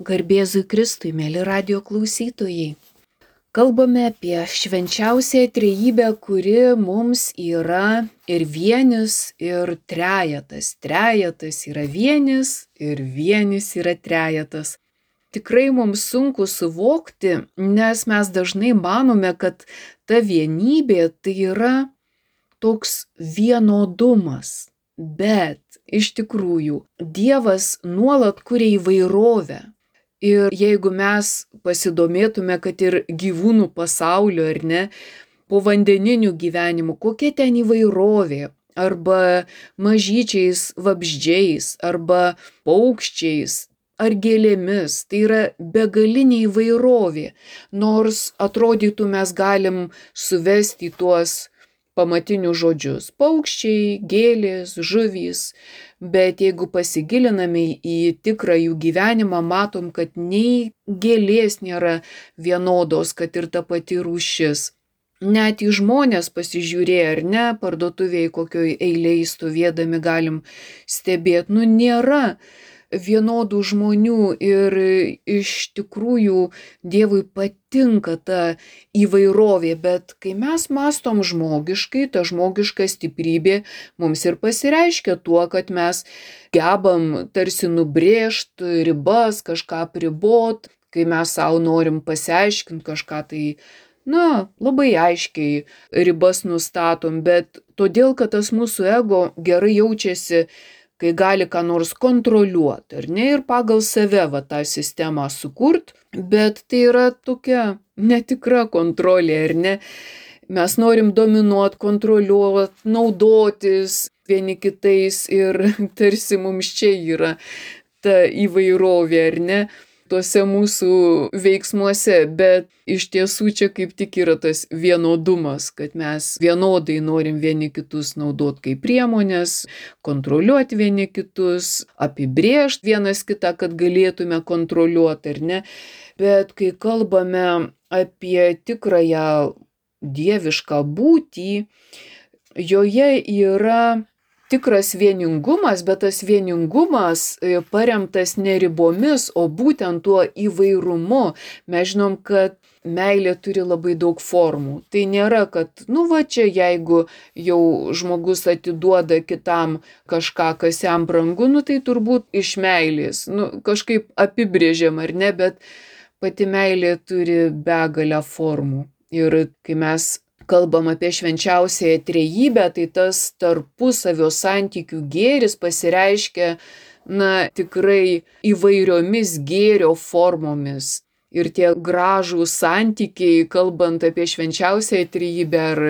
Garbėzui Kristui, mėly radijo klausytojai. Kalbame apie švenčiausiąją trejybę, kuri mums yra ir vienis, ir trejetas. Trejetas yra vienis ir vienis yra trejetas. Tikrai mums sunku suvokti, nes mes dažnai manome, kad ta vienybė tai yra toks vienodumas. Bet iš tikrųjų Dievas nuolat kuria įvairovę. Ir jeigu mes pasidomėtume, kad ir gyvūnų pasaulio, ar ne, povandeninių gyvenimų, kokia ten įvairovė, arba mažyčiais vabzdžiais, arba paukščiais, ar gėlėmis, tai yra begalinė įvairovė. Nors atrodytų mes galim suvesti į tuos pamatinius žodžius - paukščiai, gėlės, žuvys. Bet jeigu pasigiliname į tikrą jų gyvenimą, matom, kad nei gėlės nėra vienodos, kad ir ta pati rūšis. Net į žmonės pasižiūrėję, ar ne, parduotuvėje kokioj eilėje stovėdami galim stebėti, nėra vienodų žmonių ir iš tikrųjų Dievui patinka ta įvairovė, bet kai mes mąstom žmogiškai, ta žmogiška stiprybė mums ir pasireiškia tuo, kad mes gebam tarsi nubrėžti ribas, kažką apribot, kai mes savo norim pasiaiškinti kažką, tai labai aiškiai ribas nustatom, bet todėl, kad tas mūsų ego gerai jaučiasi, kai gali ką nors kontroliuoti, ar ne, ir pagal save tą sistemą sukurt, bet tai yra tokia netikra kontrolė, ar ne. Mes norim dominuoti, kontroliuoti, naudotis vieni kitais ir tarsi mums čia yra ta įvairovė, ar ne, tuose mūsų veiksmuose, bet iš tiesų čia kaip tik yra tas vienodumas, kad mes vienodai norim vieni kitus naudoti kaip priemonės, kontroliuoti vieni kitus, apibrėžti vienas kitą, kad galėtume kontroliuoti, ar ne. Bet kai kalbame apie tikrąją dievišką būtį, joje yra tikras vieningumas, bet tas vieningumas paremtas ne ribomis, o būtent tuo įvairumu. Mes žinom, kad meilė turi labai daug formų. Tai nėra, kad, čia jeigu jau žmogus atiduoda kitam kažką, kas jam brangu, tai turbūt iš meilės. Kažkaip apibrėžiam, ar ne, bet pati meilė turi begalę formų. Ir kai mes kalbam apie švenčiausiąją trejybę, tai tas tarpusavio santykių gėris pasireiškia, tikrai įvairiomis gėrio formomis. Ir tie gražūs santykiai, kalbant apie švenčiausiąją trejybę, ar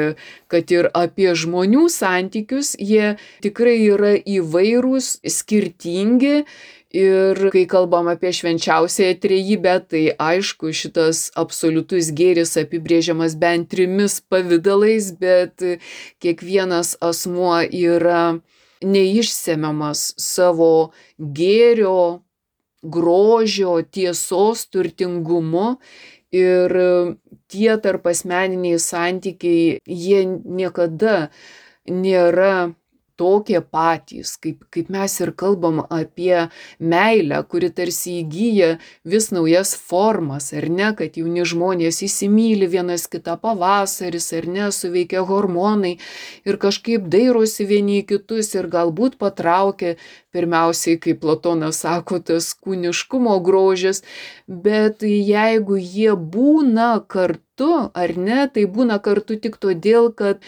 kad ir apie žmonių santykius, jie tikrai yra įvairūs, skirtingi. Ir kai kalbam apie švenčiausiąją trejybę, tai aišku, šitas absoliutus gėris apibrėžiamas bent 3 pavidalais, bet kiekvienas asmuo yra neišsemiamas savo gėrio, grožio, tiesos turtingumu. Ir tie tarpasmeniniai santykiai, jie niekada nėra tokie patys, kaip mes ir kalbam apie meilę, kuri tarsi įgyja vis naujas formas, ar ne, kad jauni žmonės įsimyli vienas kitą, pavasaris, ar ne, suveikia hormonai ir kažkaip dairosi vieni į kitus ir galbūt patraukia pirmiausiai, kaip Platonas sako, tas kūniškumo grožis, bet jeigu jie būna kartu, ar ne, tai būna kartu tik todėl, kad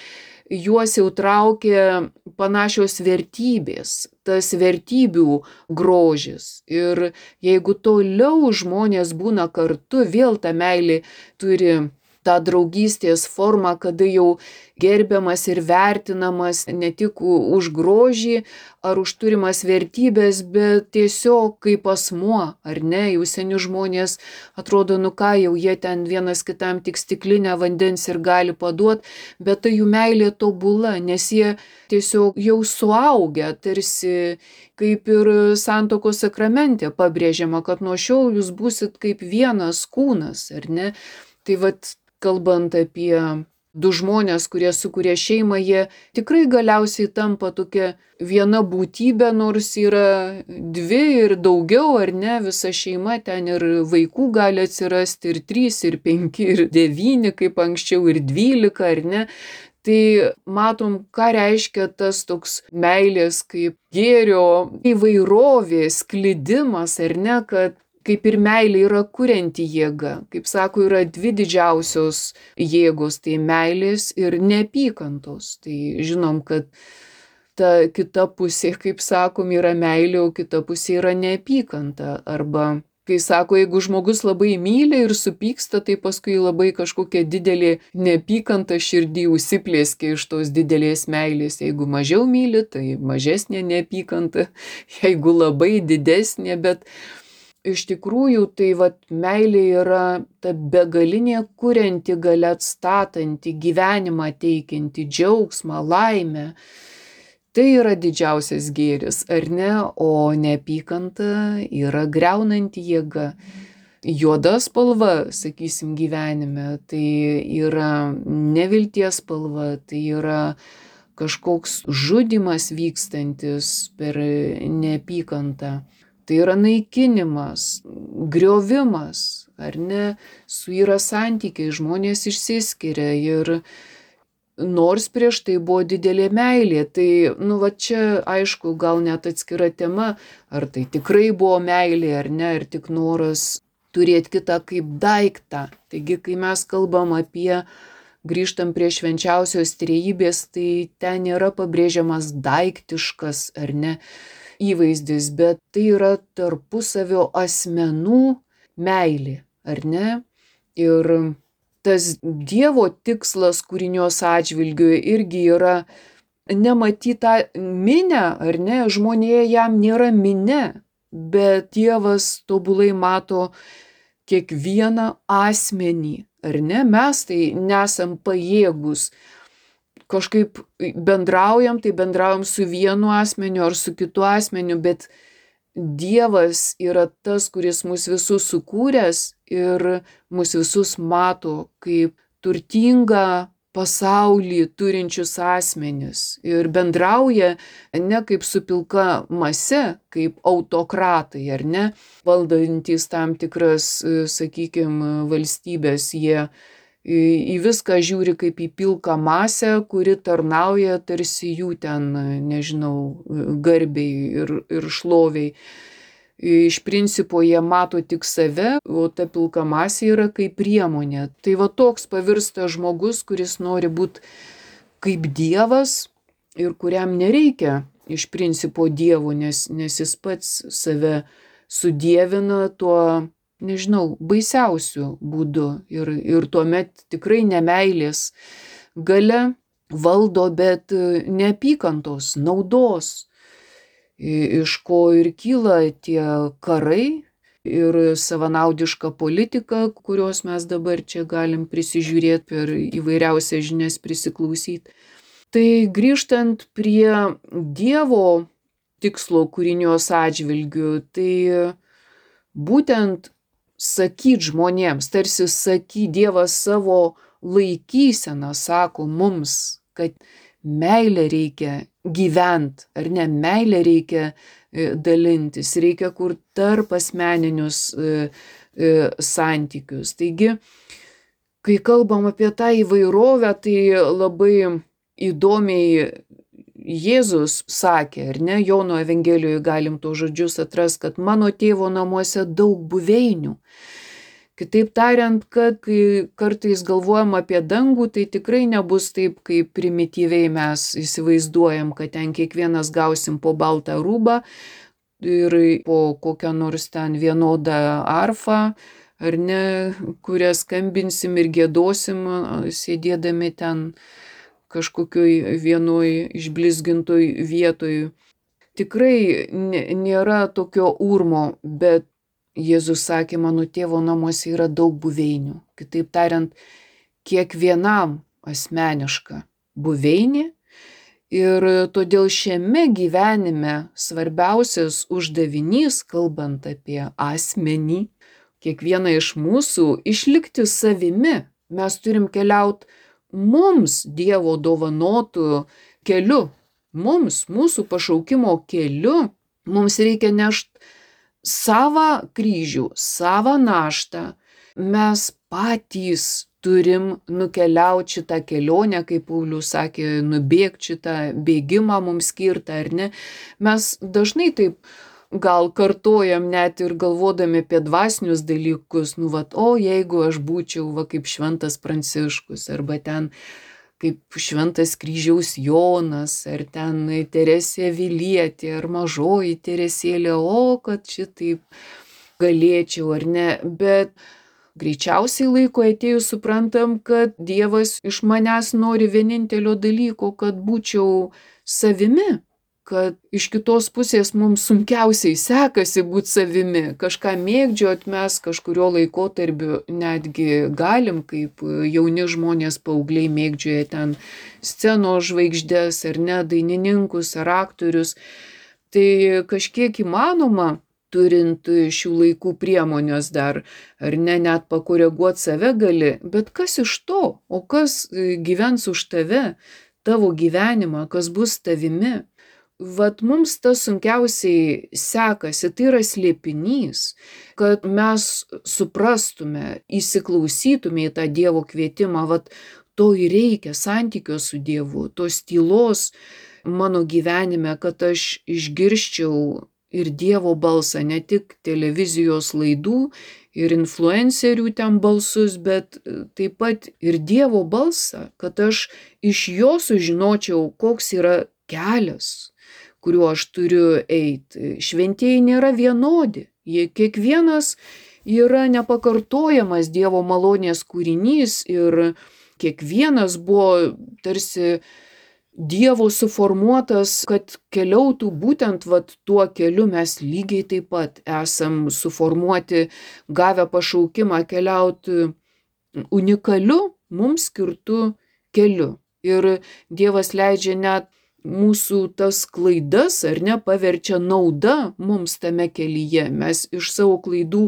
juos jau traukia panašios vertybės, tas vertybių grožis. Ir jeigu toliau žmonės būna kartu, vėl ta meilė turi tą draugystės formą, kada jau gerbiamas ir vertinamas ne tik už grožį ar už turimas vertybės, bet tiesiog kaip asmuo, ar ne, jau seni žmonės atrodo, jau jie ten vienas kitam tik stiklinę vandens ir gali paduoti, bet tai jų meilė tobula, nes jie tiesiog jau suaugę, tarsi kaip ir santuokos sakramente pabrėžiama, kad nuo šiol jūs būsit kaip vienas kūnas, ar ne. Tai kalbant apie du žmonės, kurie sukuria šeimą, jie tikrai galiausiai tampa tokia viena būtybė, nors yra dvi ir daugiau, ar ne, visa šeima, ten ir vaikų gali atsirasti, ir 3, ir 5, ir 9, kaip anksčiau, ir 12, ar ne. Tai matom, ką reiškia tas toks meilės kaip gėrio įvairovė, sklidimas, ar ne, kad kaip ir meilė yra kurianti jėga. Kaip sako, yra dvi didžiausios jėgos, tai meilės ir neapykantos. Tai žinom, kad ta kita pusė, kaip sakom, yra meilė, o kita pusė yra neapykanta. Arba, kai sako, jeigu žmogus labai myli ir supyksta, tai paskui labai kažkokia didelė neapykanta širdį užsiplėskia iš tos didelės meilės. Jeigu mažiau myli, tai mažesnė neapykanta, jeigu labai didesnė, bet iš tikrųjų, tai meilė yra ta begalinė kurianti galia, atstatanti, gyvenimą teikianti, džiaugsmą, laimę. Tai yra didžiausias gėris, ar ne? O neapykanta yra griaunanti jėga. Juoda spalva, sakysim, gyvenime, tai yra nevilties spalva, tai yra kažkoks žudymas vykstantis per neapykantą. Tai yra naikinimas, griovimas, ar ne, suyra santykiai, žmonės išsiskiria ir nors prieš tai buvo didelė meilė, tai, čia aišku, gal net atskira tema, ar tai tikrai buvo meilė, ar ne, ar tik noras turėti kitą kaip daiktą. Taigi, kai mes kalbam grįžtam prie švenčiausios trejybės, tai ten yra pabrėžiamas daiktiškas, ar ne, įvaizdis, bet tai yra tarpusavio asmenų meilė, ar ne? Ir tas Dievo tikslas kūrinios atžvilgiu irgi yra nematyti tą minę, ar ne? Žmonėje jam nėra minė, bet Dievas tobulai mato kiekvieną asmenį, ar ne? Mes tai nesam pajėgus. Kažkaip bendraujam, tai bendraujam su vienu asmeniu ar su kitu asmeniu, bet Dievas yra tas, kuris mus visus sukūręs ir mus visus mato kaip turtingą pasaulį turinčius asmenis ir bendrauja ne kaip su pilka mase, kaip autokratai, ar ne, valdantys tam tikras, sakykime, valstybės, jie į viską žiūri kaip į pilką masę, kuri tarnauja tarsi jų ten, nežinau, garbiai ir šloviai. Iš principo jie mato tik save, o ta pilka masė yra kaip priemonė. Tai toks pavirsta žmogus, kuris nori būti kaip Dievas ir kuriam nereikia iš principo Dievo, nes jis pats save sudievina tuo, nežinau, baisiausiu būdu ir tuomet tikrai nemeilės galia valdo, bet neapykantos, naudos, iš ko ir kyla tie karai ir savanaudiška politika, kurios mes dabar čia galim prisižiūrėti per įvairiausias žinias prisiklausyti. Tai grįžtant prie Dievo tikslo kūrinios atžvilgių, tai būtent sakyt žmonėms, tarsi Dievas savo laikyseną sako mums, kad meilę reikia gyvent, ar ne, meilę reikia dalintis, reikia kur tarp asmeninius santykius. Taigi, kai kalbam apie tą įvairovę, tai labai įdomiai Jėzus sakė, ar ne, Jono Evangelijoje galim to žodžius atras, kad mano tėvo namuose daug buveinių. Kitaip tariant, kad kai kartais galvojam apie dangų, tai tikrai nebus taip, kaip primityviai mes įsivaizduojam, kad ten kiekvienas gausim po baltą rūbą ir po kokią nors ten vienodą arfą, ar ne, kurią skambinsim ir giedosim, sėdėdami ten kažkokioj vienoj išblizgintoj vietoj. Tikrai nėra tokio urmo, bet Jėzus sakė, mano tėvo namuose yra daug buveinių. Kitaip tariant, kiekvienam asmeniška buveinė ir todėl šiame gyvenime svarbiausias uždavinys, kalbant apie asmenį, kiekvieną iš mūsų išlikti savimi. Mes turim keliauti mums Dievo dovanotų keliu, mūsų pašaukimo keliu, mums reikia nešti savo kryžių, savo naštą. Mes patys turim nukeliauti šitą kelionę, kaip Paulius sakė, nubėgti šitą bėgimą mums skirtą, ar ne? Mes dažnai taip gal kartojam net ir galvodami apie dvasinius dalykus, jeigu aš būčiau kaip šventas Pranciškus, arba ten kaip šventas kryžiaus Jonas, ar ten Teresė Avilietė, ar mažoji Teresėlė, kad šitaip galėčiau, ar ne, bet greičiausiai laiko atėjus suprantam, kad Dievas iš manęs nori vienintelio dalyko, kad būčiau savimi, kad iš kitos pusės mums sunkiausiai sekasi būti savimi, kažką mėgdžiot mes kažkurio laikotarpiu netgi galim, kaip jauni žmonės paaugliai mėgdžioja ten scenos žvaigždės, ar ne, dainininkus, ar aktorius, tai kažkiek įmanoma, turint šių laikų priemonės dar, ar ne, net pakoreguoti save gali, bet kas iš to, o kas gyvens už tave, tavo gyvenimą, kas bus tavimi. Mums tas sunkiausiai sekasi, tai yra slėpinys, kad mes suprastume, įsiklausytume į tą Dievo kvietimą, to ir reikia, santykio su Dievu, tos tylos mano gyvenime, kad aš išgirščiau ir Dievo balsą, ne tik televizijos laidų ir influencerių ten balsus, bet taip pat ir Dievo balsą, kad aš iš jo sužinočiau, koks yra kelias, kuriuo aš turiu eiti. Šventieji nėra vienodi, jie kiekvienas yra nepakartojamas Dievo malonės kūrinys ir kiekvienas buvo tarsi Dievo suformuotas, kad keliautų būtent tuo keliu. Mes lygiai taip pat esam suformuoti, gavę pašaukimą keliauti unikaliu, mums skirtu keliu. Ir Dievas leidžia net mūsų tas klaidas, ar ne, paverčia nauda mums tame kelyje. Mes iš savo klaidų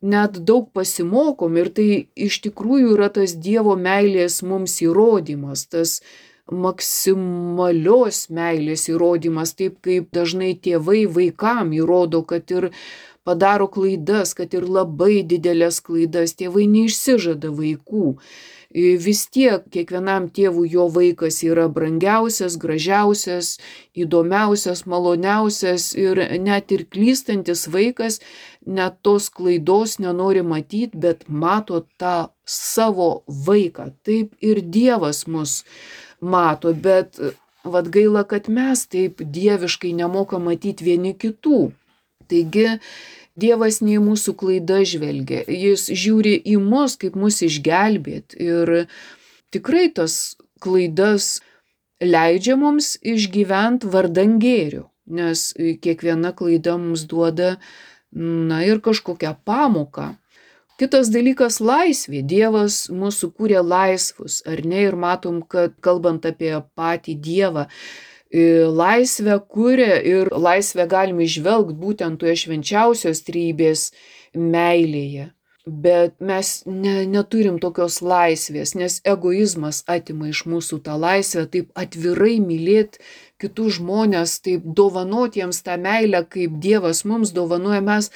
net daug pasimokom ir tai iš tikrųjų yra tas Dievo meilės mums įrodymas, tas maksimalios meilės įrodymas, taip kaip dažnai tėvai vaikam įrodo, kad ir padaro klaidas, kad ir labai didelės klaidas, tėvai neišsižada vaikų. Vis tiek kiekvienam tėvui jo vaikas yra brangiausias, gražiausias, įdomiausias, maloniausias ir net ir klystantis vaikas net tos klaidos nenori matyti, bet mato tą savo vaiką. Taip ir Dievas mus mato, bet gaila, kad mes taip dieviškai nemokam matyti vieni kitų. Taigi Dievas ne į mūsų klaidas žvelgia, jis žiūri į mus, kaip mus išgelbėti ir tikrai tas klaidas leidžia mums išgyventi vardan gėrio, nes kiekviena klaida mums duoda ir kažkokią pamoką. Kitas dalykas - laisvė. Dievas mūsų kūrė laisvus, ar ne, ir matom, kad kalbant apie patį Dievą, laisvę kuria ir laisvę galime išvelgti būtent toje švenčiausios trejybės meilėje. Bet mes neturim tokios laisvės, nes egoizmas atima iš mūsų tą laisvę, taip atvirai mylėti kitus žmonės, taip dovanoti jiems tą meilę, kaip Dievas mums dovanoja, mes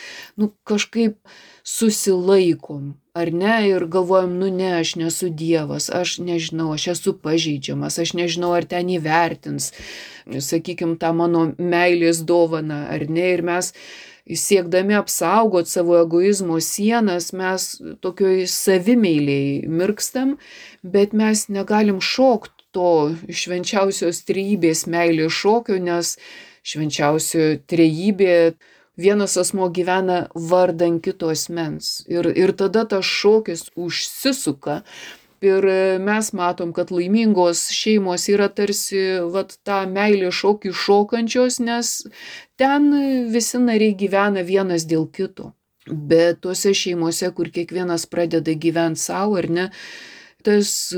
kažkaip susilaikom, ar ne, ir galvojam, ne, aš nesu Dievas, aš nežinau, aš esu pažeidžiamas, aš nežinau, ar ten įvertins, sakykim, tą mano meilės dovaną, ar ne, ir mes siekdami apsaugoti savo egoizmo sienas, mes tokioj savimeiliai mirkstam, bet mes negalim šokti to švenčiausios trejybės meilės šokio, nes švenčiausio trejybė vienas asmuo gyvena vardan kito asmens. Ir tada tas šokis užsisuka. Ir mes matom, kad laimingos šeimos yra tarsi tą meilės šokį šokančios, nes ten visi nariai gyvena vienas dėl kito. Bet tuose šeimose, kur kiekvienas pradeda gyventi savo, ar ne, tas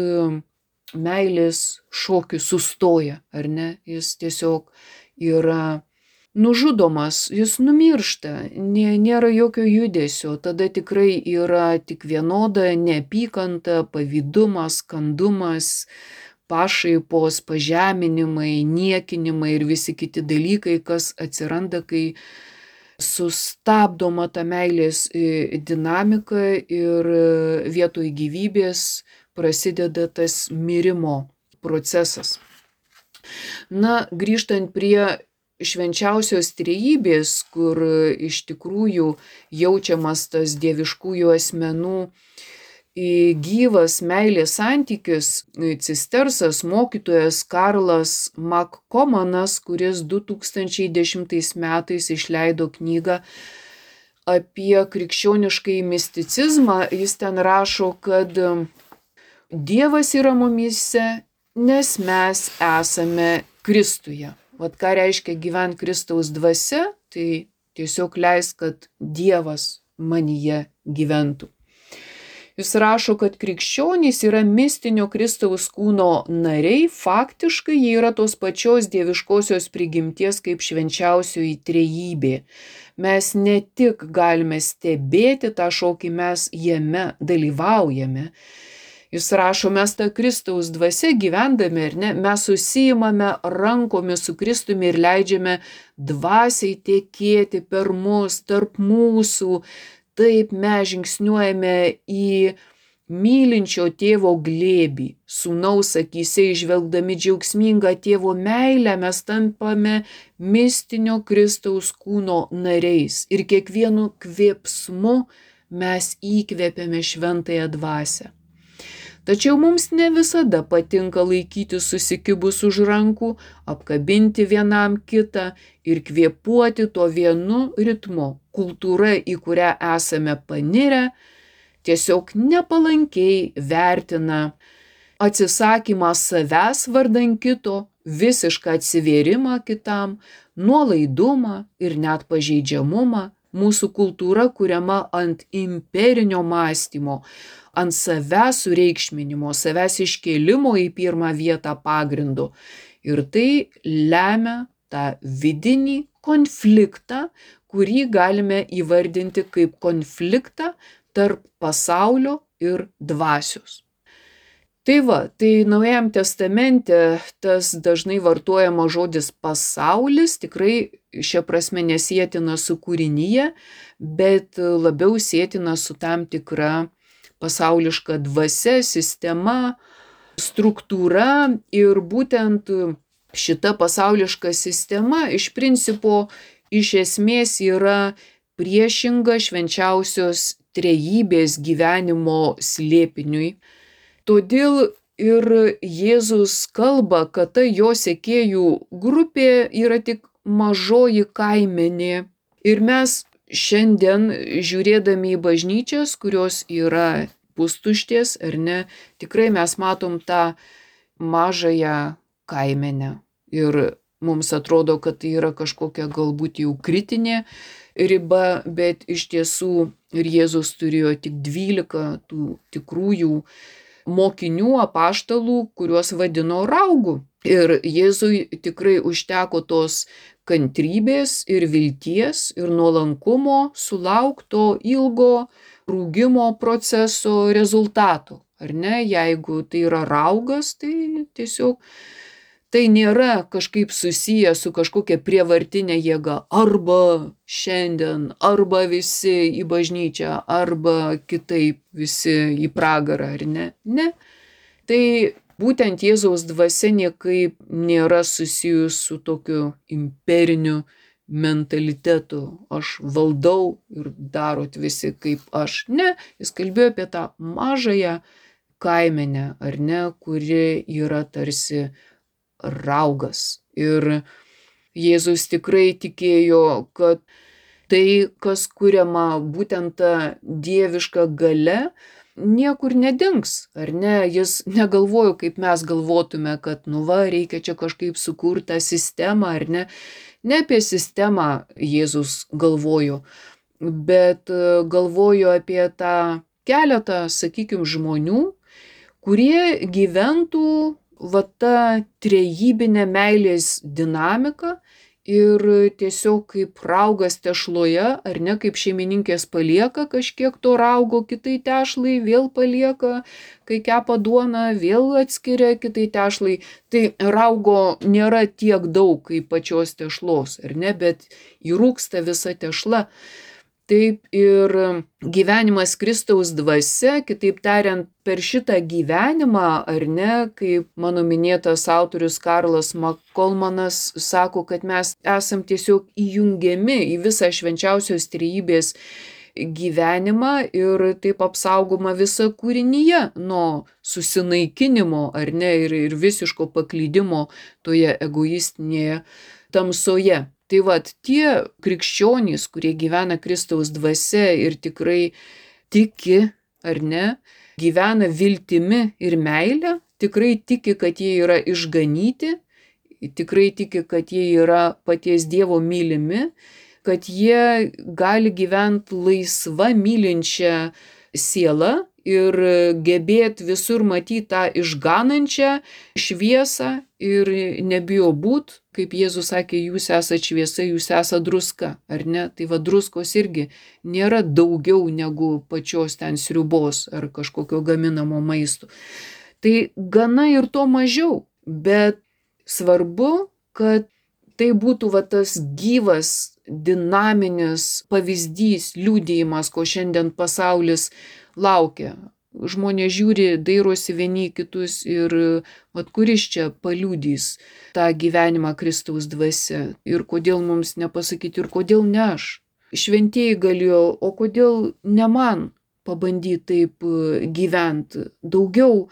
meilės šokis sustoja, ar ne, jis tiesiog yra nužudomas, jis numiršta, nėra jokio judesio, tada tikrai yra tik vienoda neapykanta, pavydumas, kandumas, pašaipos, pažeminimai, niekinimai ir visi kiti dalykai, kas atsiranda, kai sustabdoma ta meilės dinamika ir vietoj gyvybės prasideda tas mirimo procesas. Na, grįžtant prie švenčiausios trejybės, kur iš tikrųjų jaučiamas tas dieviškųjų asmenų gyvas meilės santykis, cistersas mokytojas Karlas Makkomanas, kuris 2010 metais išleido knygą apie krikščioniškai misticizmą, jis ten rašo, kad Dievas yra mumyse, nes mes esame Kristuje. Vat ką reiškia gyventi Kristaus dvasia, tai tiesiog leis, kad Dievas manyje gyventų. Jis rašo, kad krikščionys yra mistinio Kristaus kūno nariai, faktiškai jie yra tos pačios dieviškosios prigimties kaip švenčiausioji trejybė. Mes ne tik galime stebėti tą šokį, mes jame dalyvaujame. Jis rašo, mes tą Kristaus dvasia gyvendami, ar ne, mes susiimame rankomis su Kristumi ir leidžiame dvasiai tekėti per mus, tarp mūsų. Taip mes žingsniuojame į mylinčio tėvo glėbį, sūnaus akyse įžvelgdami džiaugsmingą tėvo meilę, mes tampame mistinio Kristaus kūno nariais ir kiekvienu kvėpsmu mes įkvėpiame šventąją dvasią. Tačiau mums ne visada patinka laikyti susikibus už rankų, apkabinti vienam kitą ir kvėpuoti tuo vienu ritmu. Kultūra, į kurią esame panirę, tiesiog nepalankiai vertina atsisakymą savęs vardan kito, visišką atsivėrimą kitam, nuolaidumą ir net pažeidžiamumą. Mūsų kultūra kuriama ant imperinio mąstymo, ant savęs sureikšminimo, savęs iškėlimo į pirmą vietą pagrindu. Ir tai lemia tą vidinį konfliktą, kurį galime įvardinti kaip konfliktą tarp pasaulio ir dvasios. Tai va, tai Naujajam testamente tas dažnai vartojama žodis pasaulis tikrai šia prasme nesietina su kūrinyje, bet labiau sietina su tam tikra pasauliška dvasia, sistema, struktūra ir būtent šita pasauliška sistema iš principo iš esmės yra priešinga švenčiausios trejybės gyvenimo slėpiniui. Todėl ir Jėzus kalba, kad ta jo sekėjų grupė yra tik mažoji kaimenė. Ir mes šiandien, žiūrėdami į bažnyčias, kurios yra pustuštės ar ne, tikrai mes matom tą mažąją kaimenę. Ir mums atrodo, kad tai yra kažkokia galbūt jau kritinė riba, bet iš tiesų ir Jėzus turėjo tik 12 tų tikrųjų mokinių, apaštalų, kuriuos vadino raugu. Ir Jėzui tikrai užteko tos kantrybės ir vilties ir nuolankumo sulaukto ilgo rūgimo proceso rezultatų. Ar ne? Jeigu tai yra raugas, tai tiesiog tai nėra kažkaip susiję su kažkokia prievartinė jėga. Arba šiandien, arba visi į bažnyčią, arba kitaip visi į pragarą, ar ne? Ne. Tai būtent Jėzaus dvasia niekaip nėra susijus su tokiu imperiniu mentalitetu. Aš valdau ir darot visi kaip aš. Ne, jis kalbėjo apie tą mažąją kaimenę, ar ne, kuri yra tarsi raugas. Ir Jėzus tikrai tikėjo, kad tai, kas kuriama būtent ta dieviška galia, niekur nedings, ar ne? Jis negalvojo, kaip mes galvotume, kad reikia čia kažkaip sukurti tą sistemą, ar ne? Ne apie sistemą Jėzus galvojo, bet galvojo apie tą keletą, sakykime, žmonių, kurie gyventų va ta trejybinė meilės dinamika ir tiesiog kaip raugas tešloje, ar ne, kaip šeimininkės palieka kažkiek to raugo kitai tešlai, vėl palieka, kai kepa duoną, vėl atskiria kitai tešlai. Tai raugo nėra tiek daug kaip pačios tešlos, ar ne, bet įrūksta visa tešla. Taip ir gyvenimas Kristaus dvasia, kitaip tariant, per šitą gyvenimą, ar ne, kaip mano minėtas autorius Karlas Makolmanas sako, kad mes esam tiesiog įjungiami į visą švenčiausios trejybės gyvenimą ir taip apsaugoma visa kūrinyje nuo susinaikinimo, ar ne, ir visiško paklydimo toje egoistinėje tamsoje. Tai vat tie krikščionys, kurie gyvena Kristaus dvasia ir tikrai tiki, ar ne, gyvena viltimi ir meile, tikrai tiki, kad jie yra išganyti, tikrai tiki, kad jie yra paties Dievo mylimi, kad jie gali gyventi laisva mylinčią sielą ir gebėti visur matyti tą išganančią šviesą ir nebijo būt, kaip Jėzus sakė, jūs esate šviesa, jūs esate druska, ar ne? Tai va druskos irgi nėra daugiau negu pačios ten sriubos ar kažkokio gaminamo maisto. Tai gana ir to mažiau, bet svarbu, kad tai būtų va tas gyvas, dinaminis pavyzdys, liudijimas, ko šiandien pasaulis laukia. Žmonės žiūri, dairosi vieni kitus ir vat kuris čia paliudys tą gyvenimą Kristaus dvasia ir kodėl mums nepasakyti ir kodėl ne aš. Šventieji galėjo, o kodėl ne man pabandyti taip gyventi, daugiau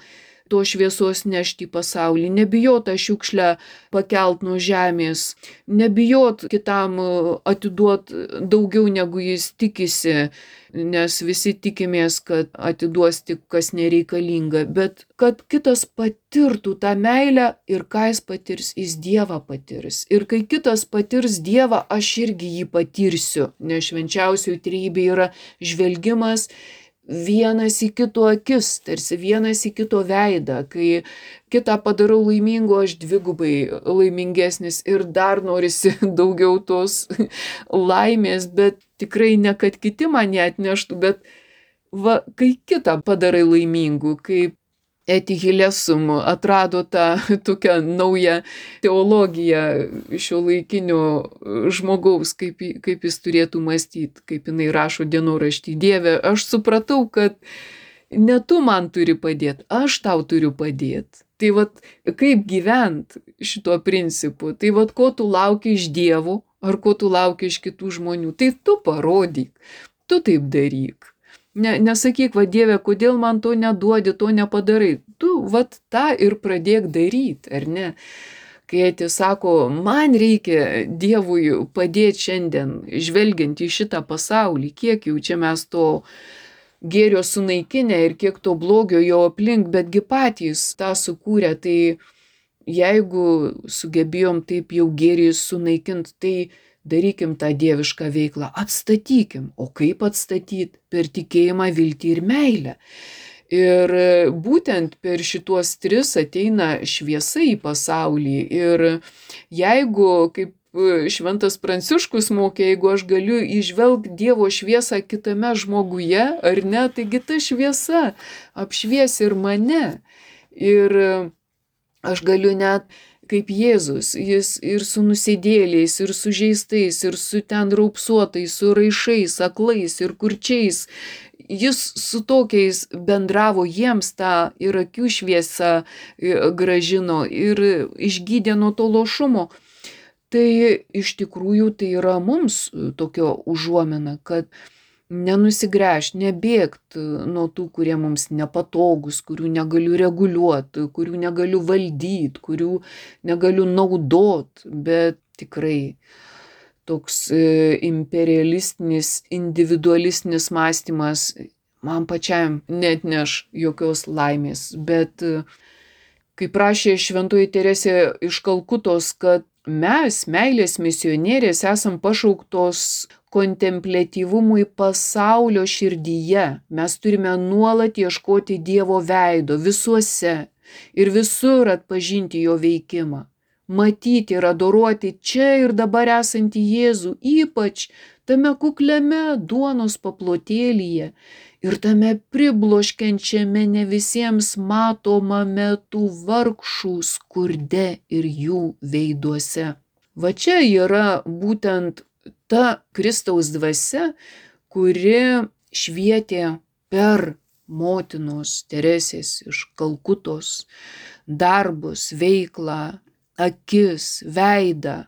to šviesos nešti į pasaulį, nebijot tą šiukšlę pakelt nuo žemės, nebijot kitam atiduot daugiau negu jis tikisi, nes visi tikimės, kad atiduos tik kas nereikalinga, bet kad kitas patirtų tą meilę ir ką jis patirs, jis Dievą patirs. Ir kai kitas patirs Dievą, aš irgi jį patirsiu, nes švenčiausioji trejybė yra žvelgimas vienas į kito akis, tarsi vienas į kito veidą. Kai kitą padarau laimingu, aš dvigubai laimingesnis ir dar norisi daugiau tos laimės, bet tikrai ne kad kiti man ją atneštų, bet va, kai kitą padarai laimingu, kaip Eti Hilesum atrado tą tokią naują teologiją šiuolaikinio žmogaus, kaip jis turėtų mąstyti, kaip jinai rašo dienoraštį. Dieve, aš supratau, kad ne tu man turi padėti, aš tau turiu padėti. Tai vat kaip gyventi šituo principu, tai vat ko tu lauki iš Dievo, ar ko tu lauki iš kitų žmonių, tai tu parodyk, tu taip daryk. Nesakyk, va Dieve, kodėl man to neduodi, to nepadarai. Tu vat tą ir pradėk daryti, ar ne? Kai Eti sako, man reikia Dievui padėti šiandien, žvelgiant į šitą pasaulį, kiek jau čia mes to gėrio sunaikinę ir kiek to blogio jo aplink, betgi patys tą sukūrė, tai jeigu sugebėjom taip jau gėrį sunaikinti, tai darykim tą dievišką veiklą, atstatykim. O kaip atstatyti? Per tikėjimą, viltį ir meilę. Ir būtent per šituos tris ateina šviesa į pasaulį. Ir jeigu, kaip Šventas Pranciškus mokė, jeigu aš galiu įžvelgti Dievo šviesą kitame žmoguje, ar ne, taigi ta šviesa apšvies ir mane. Ir aš galiu net kaip Jėzus, jis ir su nusidėliais, ir su žeistais, ir su ten raupsuotais, su raišais, aklais ir kurčiais. Jis su tokiais bendravo, jiems tą ir akių šviesą gražino ir išgydė nuo to lošumo. Tai iš tikrųjų tai yra mums tokio užuomina, kad nenusigręžt, nebėgt nuo tų, kurie mums nepatogus, kurių negaliu reguliuoti, kurių negaliu valdyti, kurių negaliu naudot, bet tikrai toks imperialistinis, individualistinis mąstymas man pačiam neatneš jokios laimės, bet kaip rašė Šventoji Teresė iš Kalkutos, kad mes, meilės misionierės, esam pašauktos kontempliatyvumui pasaulio širdyje. Mes turime nuolat ieškoti Dievo veido visuose ir visur atpažinti jo veikimą. matyti ir adoruoti čia ir dabar esantį Jėzų, ypač tame kukliame duonos paplotėlyje ir tame pribloškiančiame ne visiems matomame tų vargšų skurde ir jų veiduose. Va čia yra būtent ta Kristaus dvasia, kuri švietė per motinos Teresės iš Kalkutos darbus, veiklą, akis, veidą.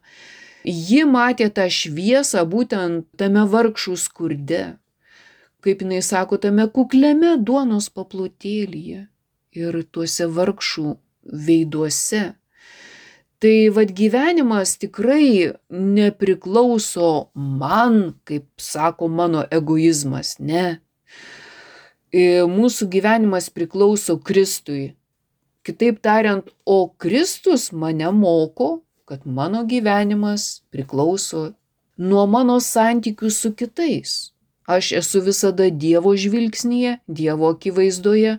Ji matė tą šviesą būtent tame vargšų skurde, kaip jinai sako, tame kukliame duonos paplotėlyje ir tuose vargšų veiduose. Tai vad gyvenimas tikrai nepriklauso man, kaip sako mano egoizmas, ne. Mūsų gyvenimas priklauso Kristui. Kitaip tariant, o Kristus mane moko, kad mano gyvenimas priklauso nuo mano santykių su kitais. Aš esu visada Dievo žvilgsnyje, Dievo akivaizdoje.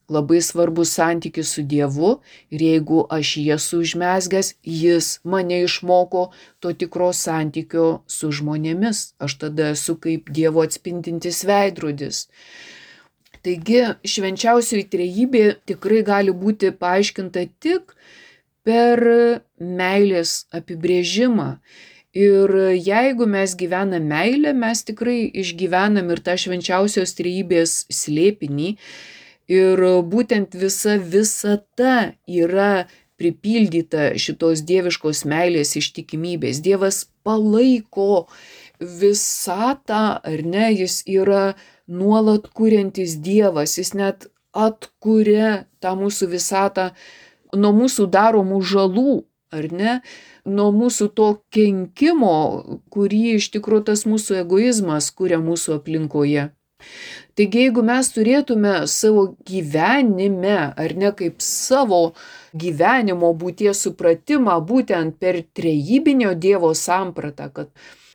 Labai svarbus santykis su Dievu ir jeigu aš jį esu užmezgęs, jis mane išmoko to tikro santykio su žmonėmis. Aš tada esu kaip Dievo atspindintis veidrodis. Taigi švenčiausioji trejybė tikrai gali būti paaiškinta tik per meilės apibrėžimą. Ir jeigu mes gyvename meilę, mes tikrai išgyvenam ir tą švenčiausios trejybės slėpinį. Ir būtent visa visata yra pripildyta šitos dieviškos meilės ištikimybės. Dievas palaiko visatą, ar ne, jis yra nuolat kuriantis Dievas, jis net atkuria tą mūsų visatą nuo mūsų daromų žalų, ar ne, nuo mūsų to kenkimo, kurį iš tikrųjų tas mūsų egoizmas kuria mūsų aplinkoje. Taigi, jeigu mes turėtume savo gyvenime, ar ne kaip savo gyvenimo būties supratimą būtent per trejybinio Dievo sampratą, kad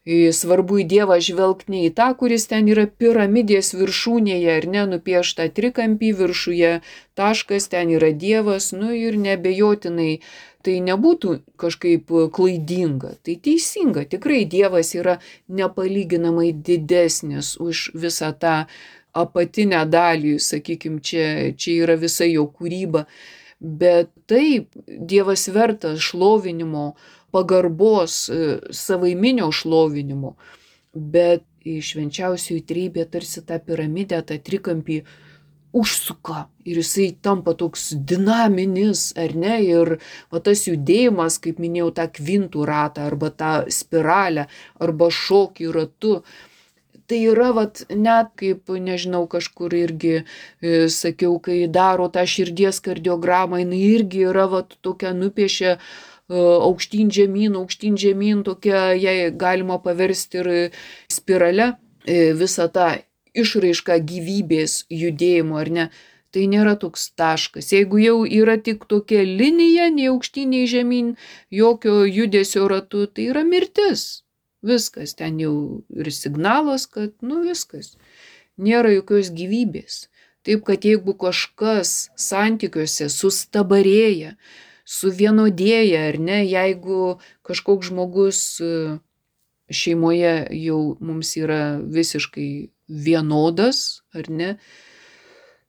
svarbu į Dievą žvelgti ne į tą, kuris ten yra piramidės viršūnėje, ar ne, nupiešta trikampį viršuje, taškas, ten yra Dievas, ir neabejotinai tai nebūtų kažkaip klaidinga, tai teisinga, tikrai Dievas yra nepalyginamai didesnis už visą tą apatinę dalį, sakykime, čia yra visa jo kūryba, bet taip, Dievas vertas šlovinimo, pagarbos, savaiminio šlovinimo, bet švenčiausioji trejybė tarsi tą piramidę, tą trikampį užsuka ir jisai tampa toks dinaminis, ar ne, ir tas judėjimas, kaip minėjau, tą kvintų ratą, arba tą spiralę, arba šokį ratu, tai yra net kaip, nežinau, kažkur irgi sakiau, kai daro tą širdies kardiogramą, jinai irgi yra tokia nupiešia aukštyn žemyn, tokia, jai galima paversti ir spirale visą tą išraišką gyvybės judėjimo, ar ne, tai nėra toks taškas. Jeigu jau yra tik tokia linija, nei aukštyn, nei žemyn, jokio judesio ratu, tai yra mirtis. Viskas, ten jau ir signalas, kad, viskas, nėra jokios gyvybės. Taip, kad jeigu kažkas santykiuose sustabarėja, suvienodėja, ar ne, jeigu kažkoks žmogus šeimoje jau mums yra visiškai vienodas, ar ne,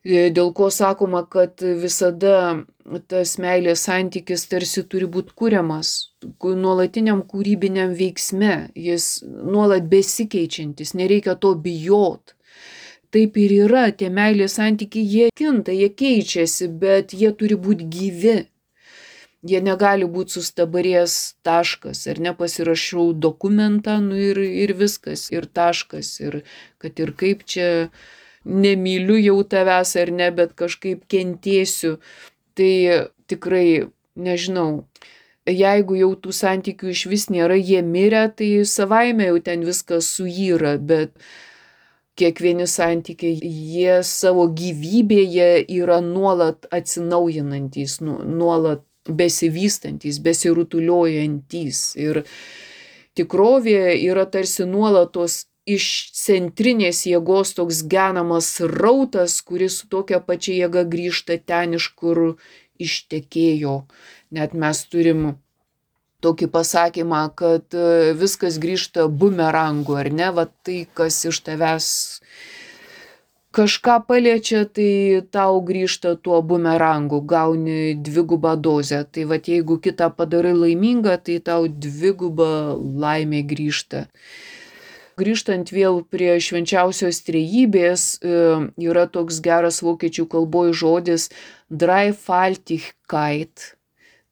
dėl ko sakoma, kad visada tas meilės santykis tarsi turi būti kuriamas nuolatiniam kūrybiniam veiksme, jis nuolat besikeičiantis, nereikia to bijot. Taip ir yra, tie meilės santykiai, jie kinta, jie keičiasi, bet jie turi būti gyvi. Jie negali būti sustabarėjęs taškas, ar nepasirašau dokumentą, ir viskas, ir taškas, ir kad ir kaip čia nemyliu jau tavęs ar ne, bet kažkaip kentėsiu, tai tikrai, nežinau, jeigu jau tų santykių iš vis nėra, jie mirę, tai savaime jau ten viskas suyra, bet kiekvieni santykiai, jie savo gyvybėje yra nuolat atsinaujinantys, nuolat besivystantys, besirutuliojantis. Ir tikrovė yra tarsi nuolatos iš centrinės jėgos toks genamas srautas, kuris su tokia pačia jėga grįžta ten, iš kur ištekėjo. Net mes turim tokį pasakymą, kad viskas grįžta bumerangu, ar ne, va tai, kas iš tavęs kažką paliečia, tai tau grįžta tuo bumerangu, gauni dvigubą dozę. Tai va jeigu kitą padarai laimingą, tai tau dviguba laimė grįžta. Grįžtant vėl prie švenčiausios trejybės, yra toks geras vokiečių kalboje žodis dreifaltigkeit.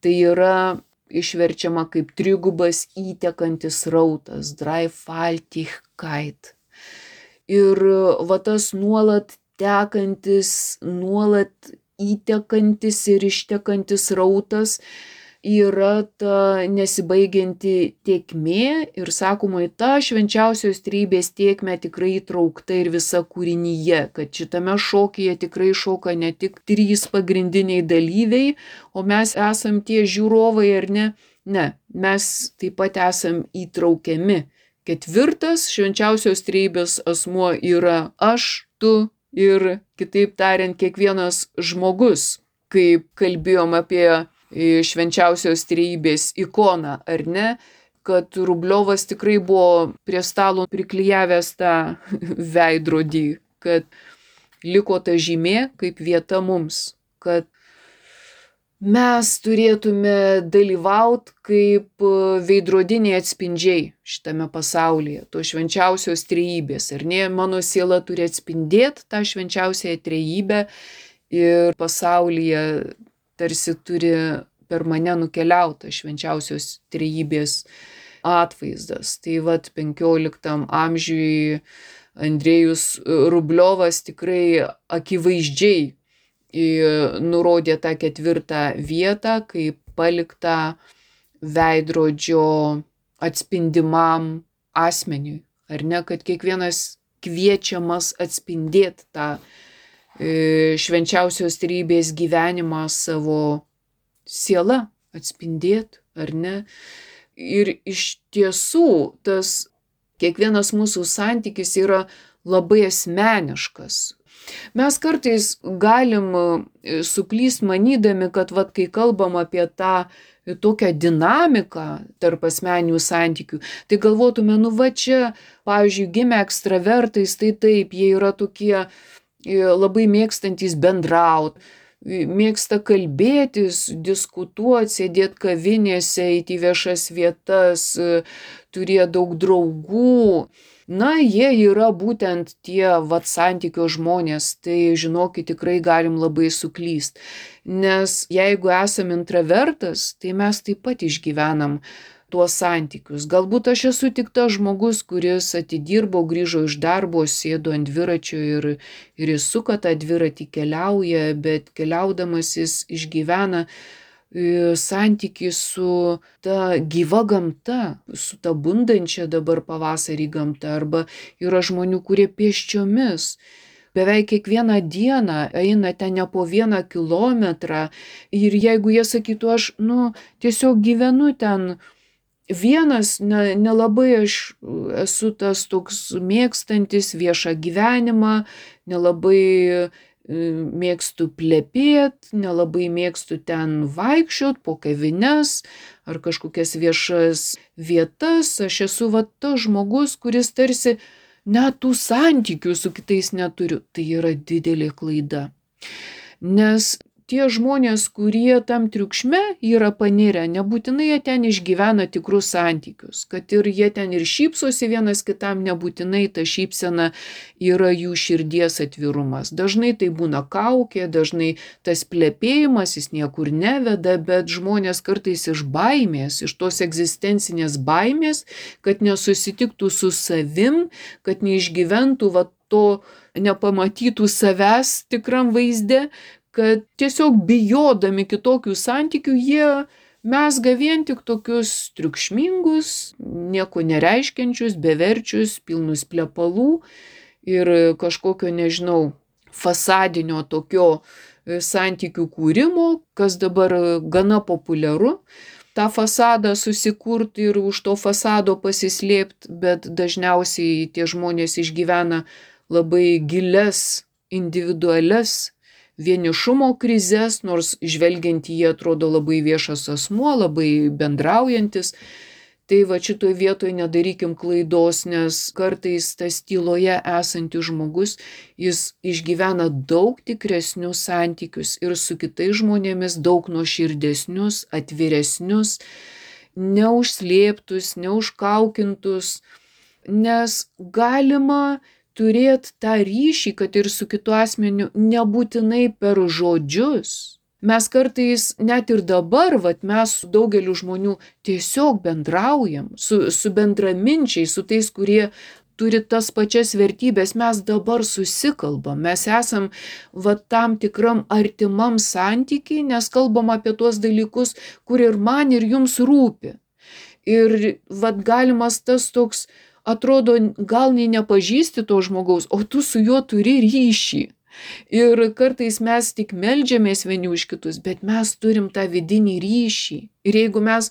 Tai yra išverčiama kaip trigubas įtekantis rautas, dreifaltigkeit. Ir va tas nuolat tekantis, nuolat įtekantis ir ištekantis rautas yra ta nesibaigianti tėkmė ir sakoma, į tą švenčiausios trejybės tėkmę tikrai įtraukta ir visa kūrinyje, kad šitame šokyje tikrai šoka ne tik 3 pagrindiniai dalyviai, o mes esam tie žiūrovai ar ne? Ne, mes taip pat esam įtraukiami. 4. švenčiausios trejybės asmuo yra aš, tu ir, kitaip tariant, kiekvienas žmogus, kaip kalbėjom apie švenčiausios trejybės ikoną, ar ne, kad Rubliovas tikrai buvo prie stalo priklijavęs tą veidrodį, kad liko ta žymė kaip vieta mums, kad mes turėtume dalyvauti kaip veidrodiniai atspindžiai šitame pasaulyje, to švenčiausios trejybės. Ir ne, mano siela turi atspindėti tą švenčiausiąją trejybę ir pasaulyje tarsi turi per mane nukeliauta švenčiausios trejybės atvaizdas. Tai vat 15 amžiui Andrejus Rubliovas tikrai akivaizdžiai nurodė tą 4. vietą, kaip paliktą veidrodžio atspindimam asmeniui. Ar ne, kad kiekvienas kviečiamas atspindėti tą švenčiausios trejybės gyvenimą savo siela, atspindėti, ar ne. Ir iš tiesų tas kiekvienas mūsų santykis yra labai asmeniškas. Mes kartais galim suklyst manydami, kad vat, kai kalbam apie tą tokią dinamiką tarp asmeninių santykių, tai galvotume, nu va čia, pavyzdžiui, gimę ekstravertais, tai taip, jie yra tokie labai mėgstantys bendraut, mėgsta kalbėtis, diskutuoti, sėdėti kavinėse, eiti į viešas vietas, turėjo daug draugų. Na, jie yra būtent tie vat santykio žmonės, tai žinokit, tikrai galim labai suklyst. Nes jeigu esam intravertas, tai mes taip pat išgyvenam tuos santykius. Galbūt aš esu tik tas žmogus, kuris atidirbo, grįžo iš darbo, sėdo ant dviračio ir jis suka tą dviratį, keliauja, bet keliaudamas jis išgyvena santykį su ta gyva gamta, su ta bundančia dabar pavasarį gamta, arba yra žmonių, kurie pėsčiomis beveik kiekvieną dieną eina ten ne po 1 kilometrą ir jeigu jie sakytų, aš tiesiog gyvenu ten vienas, nelabai aš esu tas toks mėgstantis viešą gyvenimą, nelabai mėgstu plepėt, nelabai mėgstu ten vaikščiot po kavines ar kažkokias viešas vietas. Aš esu va tas žmogus, kuris tarsi net tų santykių su kitais neturiu. Tai yra didelė klaida. Nes tie žmonės, kurie tam triukšme yra panirę, nebūtinai jie ten išgyvena tikrus santykius, kad ir jie ten ir šypsosi vienas kitam, nebūtinai ta šypsena yra jų širdies atvirumas. Dažnai tai būna kaukė, dažnai tas plepėjimas, jis niekur neveda, bet žmonės kartais iš baimės, iš tos egzistencinės baimės, kad nesusitiktų su savim, kad neišgyventų va to nepamatytų savęs tikram vaizde, kad tiesiog bijodami kitokių santykių jie mezga vien tik tokius triukšmingus, nieko nereiškiančius, beverčius, pilnus plepalų ir kažkokio, nežinau, fasadinio tokio santykių kūrimo, kas dabar gana populiaru. tą fasadą susikurti ir už to fasado pasislėpti, bet dažniausiai tie žmonės išgyvena labai gilias, individualias, vienišumo krizes, nors žvelgiant į jį atrodo labai viešas asmuo, labai bendraujantis. Tai va šitoj vietoj nedarykim klaidos, nes kartais tas tyloje esantis žmogus, jis išgyvena daug tikresnius santykius ir su kitais žmonėmis, daug nuoširdesnius, atviresnius, neužslėptus, neužkaukintus, nes galima turėti tą ryšį, kad ir su kitu asmeniu, nebūtinai per žodžius. Mes kartais net ir dabar, mes su daugeliu žmonių tiesiog bendraujam, su bendraminčiais, su tais, kurie turi tas pačias vertybės, mes dabar susikalbam, mes esam tam tikram artimam santykiai, nes kalbam apie tuos dalykus, kur ir man, ir jums rūpi. Ir galimas tas toks, atrodo, gal nei nepažįsti to žmogaus, o tu su juo turi ryšį. Ir kartais mes tik meldžiamės vieni už kitus, bet mes turim tą vidinį ryšį. Ir jeigu mes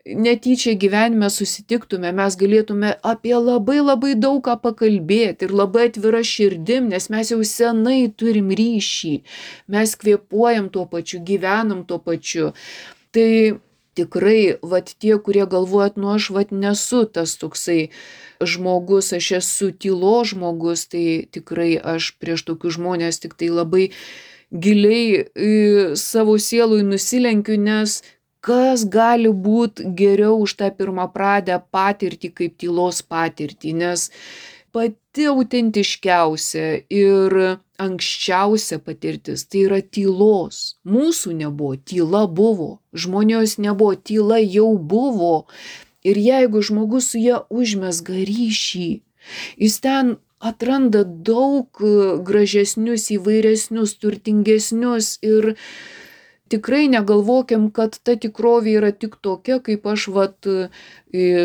netyčia gyvenime susitiktume, mes galėtume apie labai labai daug ką pakalbėti ir labai atvira širdim, nes mes jau senai turim ryšį. Mes kvėpuojam tuo pačiu, gyvenam tuo pačiu. Tai tikrai, tie, kurie galvojat, aš nesu tas toksai žmogus, aš esu tylos žmogus, tai tikrai aš prieš tokius žmonės tik tai labai giliai savo sielui nusilenkiu, nes kas gali būti geriau už tą pirmapradę patirtį kaip tylos patirtį, nes pati autentiškiausia ir anksčiausia patirtis tai yra tylos. Mūsų nebuvo, tyla buvo, žmonijos nebuvo, tyla jau buvo. Ir jeigu žmogus su ja užmezga ryšį, jis ten atranda daug gražesnius, įvairesnius, turtingesnius ir tikrai negalvokim, kad ta tikrovė yra tik tokia, kaip aš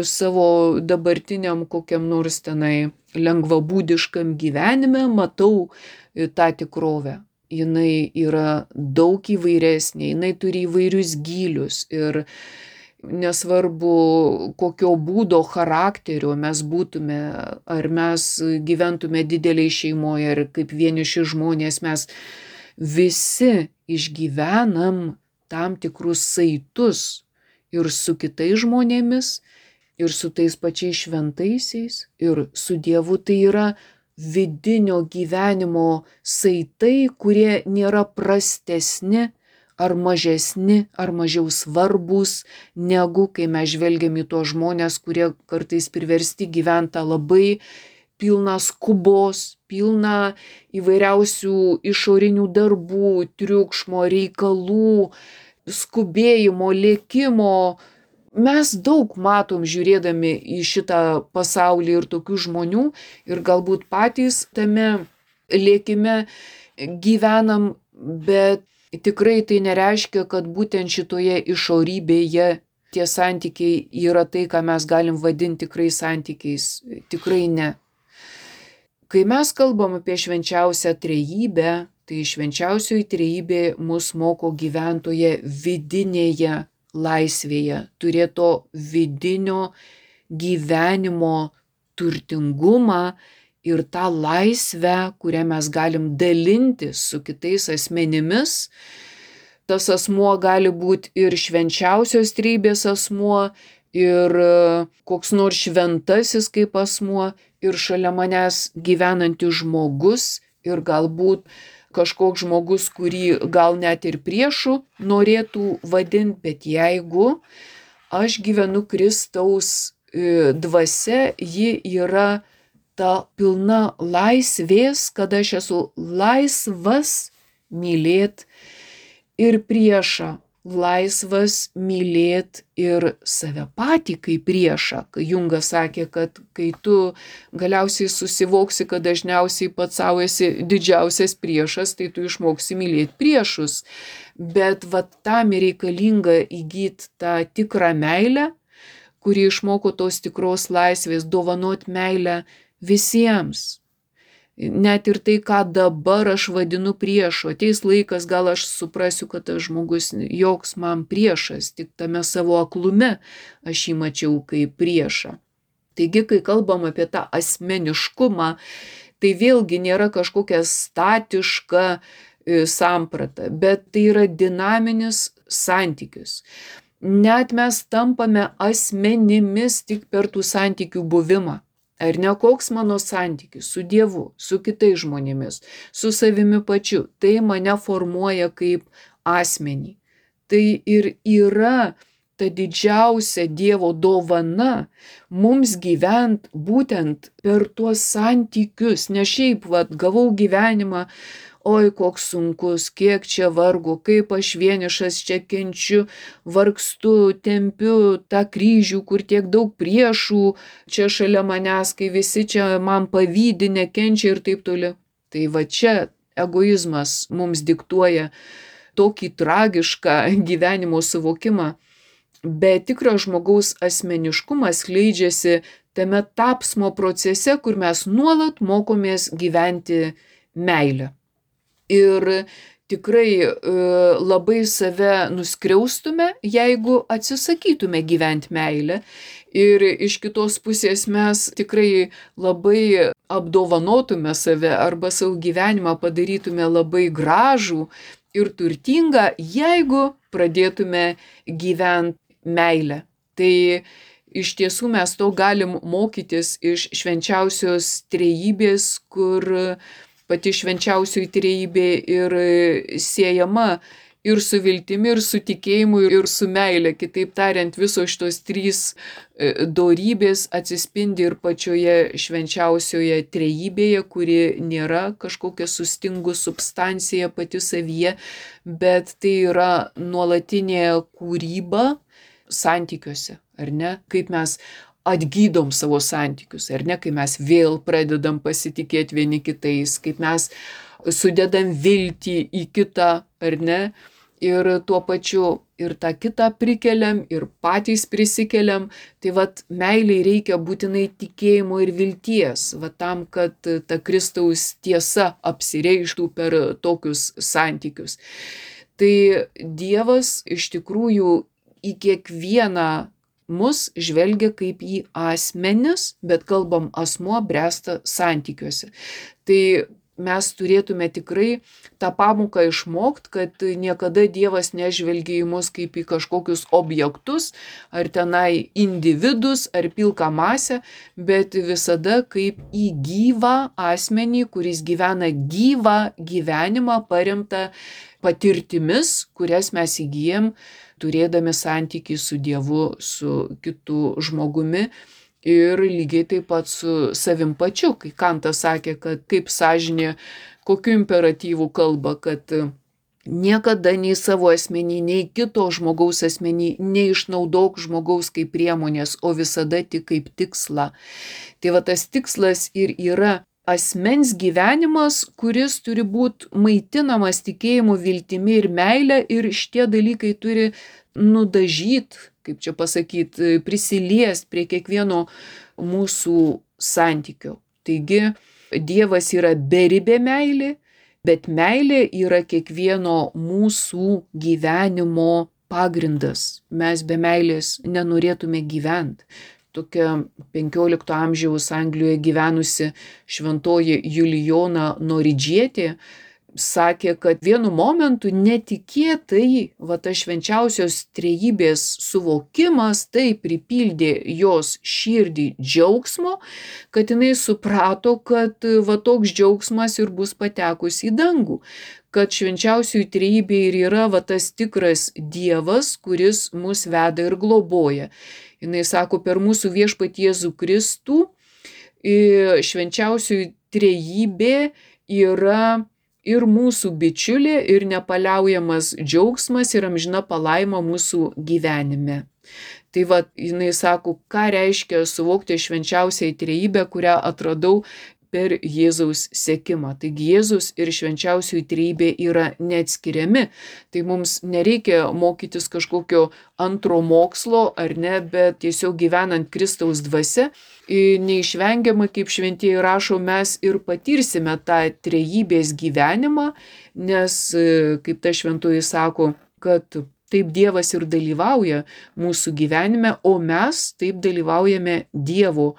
savo dabartiniam kokiam nors tenai lengvabūdiškam gyvenime matau tą tikrovę. Jinai yra daug įvairesnė, jinai turi įvairius gylius ir nesvarbu kokio būdo, charakterio mes būtume, ar mes gyventume dideliai šeimoje, ar kaip vieniši žmonės, mes visi išgyvenam tam tikrus saitus ir su kitais žmonėmis, ir su tais pačiais šventaisiais, ir su Dievu. Tai yra vidinio gyvenimo saitai, kurie nėra prastesni ar mažesni, ar mažiau svarbus, negu kai mes žvelgiam į tuos žmonės, kurie kartais priversti gyventi labai pilną skubos, pilną įvairiausių išorinių darbų, triukšmo, reikalų, skubėjimo, lėkimo. Mes daug matom žiūrėdami į šitą pasaulį ir tokių žmonių ir galbūt patys tame lėkime gyvenam, bet tikrai tai nereiškia, kad būtent šitoje išorybėje tie santykiai yra tai, ką mes galim vadinti tikrai santykiais. Tikrai ne. Kai mes kalbam apie švenčiausią trejybę, tai švenčiausioji trejybė mus moko gyventoje vidinėje laisvėje, turėto vidinio gyvenimo turtingumą ir tą laisvę, kurią mes galim dalintis su kitais asmenimis. Tas asmuo gali būti ir švenčiausios trejybės asmuo, ir koks nors šventasis kaip asmuo, ir šalia manęs gyvenantis žmogus, ir galbūt kažkoks žmogus, kurį gal net ir priešu norėtų vadinti, bet jeigu aš gyvenu Kristaus dvasia, ji yra ta pilna laisvės, kad aš esu laisvas mylėt ir priešą, laisvas mylėt ir save patį kaip priešą. Jungas sakė, kad kai tu galiausiai susivoksi, kad dažniausiai pats savo esi didžiausias priešas, tai tu išmoksi mylėti priešus. Bet tam reikalinga įgyti tą tikrą meilę, kuri išmoko tos tikros laisvės, dovanot meilę visiems. Net ir tai, ką dabar aš vadinu priešu. Ateis laikas, gal aš suprasiu, kad tas žmogus joks man priešas, tik tame savo aklume aš jį mačiau kaip priešą. Taigi, kai kalbam apie tą asmeniškumą, tai vėlgi nėra kažkokia statiška samprata, bet tai yra dinaminis santykis. Net mes tampame asmenimis tik per tų santykių buvimą. Ar ne, koks mano santykis su Dievu, su kitais žmonėmis, su savimi pačiu, tai mane formuoja kaip asmenį. Tai ir yra ta didžiausia Dievo dovana mums gyvent būtent per tuos santykius, ne šiaip, gavau gyvenimą, oi koks sunkus, kiek čia vargo, kaip aš vienišas čia kenčiu, vargstu, tempiu tą kryžių, kur tiek daug priešų čia šalia manęs, kai visi čia man pavydi, nekenčia ir taip toliau. Tai va čia egoizmas mums diktuoja tokį tragišką gyvenimo suvokimą, bet tikras žmogaus asmeniškumas skleidžiasi tame tapsmo procese, kur mes nuolat mokomės gyventi meilę. Ir tikrai labai save nuskriaustume, jeigu atsisakytume gyventi meilę. Ir iš kitos pusės mes tikrai labai apdovanotume save arba savo gyvenimą padarytume labai gražų ir turtingą, jeigu pradėtume gyventi meilę. Tai iš tiesų mes to galim mokytis iš švenčiausios trejybės, kur pati švenčiausioji trejybė ir siejama ir su viltimi, ir su tikėjimu, ir su meile. Kitaip tariant, visos šitos trys dorybės atsispindi ir pačioje švenčiausioje trejybėje, kuri nėra kažkokia sustingus substancija pati savyje, bet tai yra nuolatinė kūryba santykiuose, ar ne? Kaip mes atgydom savo santykius, ar ne, kai mes vėl pradedam pasitikėti vieni kitais, kaip mes sudedam viltį į kitą, ar ne, ir tuo pačiu ir tą kitą prikeliam, ir patys prisikeliam. Tai meiliai reikia būtinai tikėjimo ir vilties, tam, kad ta Kristaus tiesa apsireikštų per tokius santykius. Tai Dievas iš tikrųjų į kiekvieną mus žvelgia kaip į asmenis, bet kalbam asmuo bręsta santykiuose. Tai mes turėtume tikrai tą pamoką išmokti, kad niekada Dievas nežvelgia į mus kaip į kažkokius objektus, ar tenai individus, ar pilką masę, bet visada kaip į gyvą asmenį, kuris gyvena gyvą gyvenimą paremtą patirtimis, kurias mes įgyjam turėdami santykį su Dievu, su kitu žmogumi ir lygiai taip pat su savim pačiu. Kai Kantas sakė, kad kaip sąžinė, kokiu imperatyvu kalba, kad niekada nei savo asmenį, nei kito žmogaus asmenį neišnaudok žmogaus kaip priemonės, o visada tik kaip tikslą. Tai tas tikslas ir yra asmens gyvenimas, kuris turi būti maitinamas tikėjimu, viltimi ir meilė, ir šitie dalykai turi nudažyti, kaip čia pasakyti, prisiliest prie kiekvieno mūsų santykio. Taigi Dievas yra beribė meilė, bet meilė yra kiekvieno mūsų gyvenimo pagrindas. Mes be meilės nenorėtume gyventi. Tokia 15 amžiaus Anglijoje gyvenusi šventoji Julijona Noridžietė sakė, kad vienu momentu netikėtai ta švenčiausios trejybės suvokimas tai pripildė jos širdį džiaugsmo, kad jinai suprato, kad toks džiaugsmas ir bus patekus į dangų, kad švenčiausioji trejybė ir yra tas tikras Dievas, kuris mus veda ir globoja. Jinai sako, per mūsų viešpatį Jėzų Kristų švenčiausioji trejybė yra ir mūsų bičiulė, ir nepaliaujamas džiaugsmas, ir amžina palaima mūsų gyvenime. Tai jinai sako, ką reiškia suvokti švenčiausiai trejybę, kurią atradau per Jėzaus sekimą. Taigi Jėzus ir švenčiausioji trejybė yra neatskiriami. Tai mums nereikia mokytis kažkokio antro mokslo, ar ne, bet tiesiog gyvenant Kristaus dvasia, neišvengiamai, kaip šventieji rašo, mes ir patirsime tą trejybės gyvenimą, nes, kaip ta šventoji sako, kad taip Dievas ir dalyvauja mūsų gyvenime, o mes taip dalyvaujame Dievo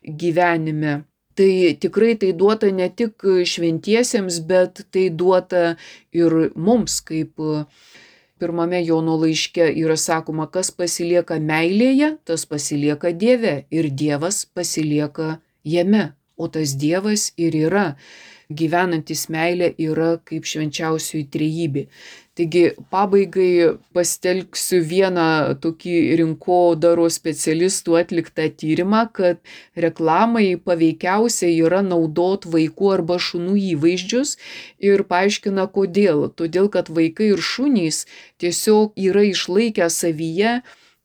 gyvenime. Tai tikrai tai duota ne tik šventiesiems, bet tai duota ir mums, kaip pirmame Jono laiške yra sakoma, kas pasilieka meilėje, tas pasilieka Dieve ir Dievas pasilieka jame. O tas Dievas ir yra, gyvenantis meilė yra kaip švenčiausioji trejybė. Taigi pabaigai pasitelksiu vieną tokį rinkodaros specialistų atliktą tyrimą, kad reklamai paveikiausia yra naudot vaikų arba šunų įvaizdžius ir paaiškina kodėl. Todėl, kad vaikai ir šunys tiesiog yra išlaikę savyje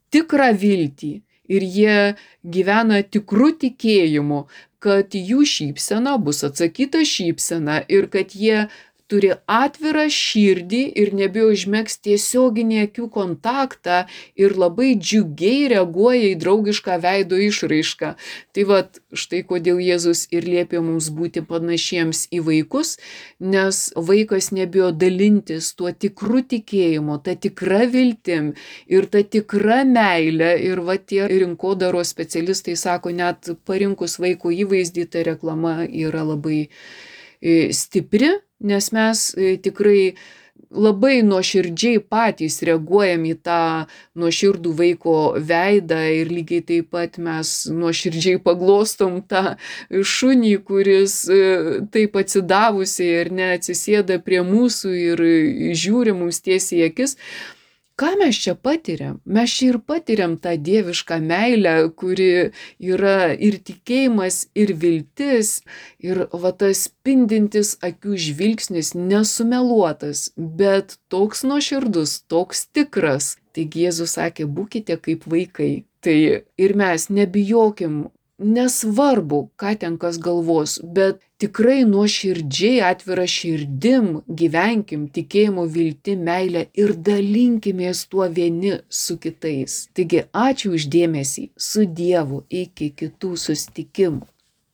tikrą viltį ir jie gyvena tikrų tikėjimu, kad jų šypsena bus atsakyta šypsena ir kad jie turi atvirą širdį ir nebijo užmegzti tiesioginį akių kontaktą ir labai džiugiai reaguoja į draugišką veido išraišką. Tai vat štai kodėl Jėzus ir liepia mums būti panašiems į vaikus, nes vaikas nebijo dalintis tuo tikru tikėjimu, ta tikra viltim ir ta tikra meilė. Ir va tie rinkodaros specialistai sako, net parinkus vaiko įvaizdį, ta reklama yra labai stipri, nes mes tikrai labai nuoširdžiai patys reaguojam į tą nuoširdų vaiko veidą ir lygiai taip pat mes nuoširdžiai paglostom tą šunį, kuris taip atsidavusiai ar ne atsisėda prie mūsų ir žiūri mums tiesiai į akis. Ką mes čia patiriam? Mes čia ir patiriam tą dievišką meilę, kuri yra ir tikėjimas, ir viltis, ir va tas spindintis akių žvilgsnis, nesumeluotas, bet toks nuoširdus, toks tikras. Taigi Jėzus sakė, būkite kaip vaikai. Tai ir mes nebijokim, nesvarbu, ką ten kas galvos, bet tikrai nuoširdžiai atvira širdim gyvenkim tikėjimu, viltim, meilę ir dalinkimės tuo vieni su kitais. Taigi ačiū už dėmesį, su Dievu, iki kitų susitikimų.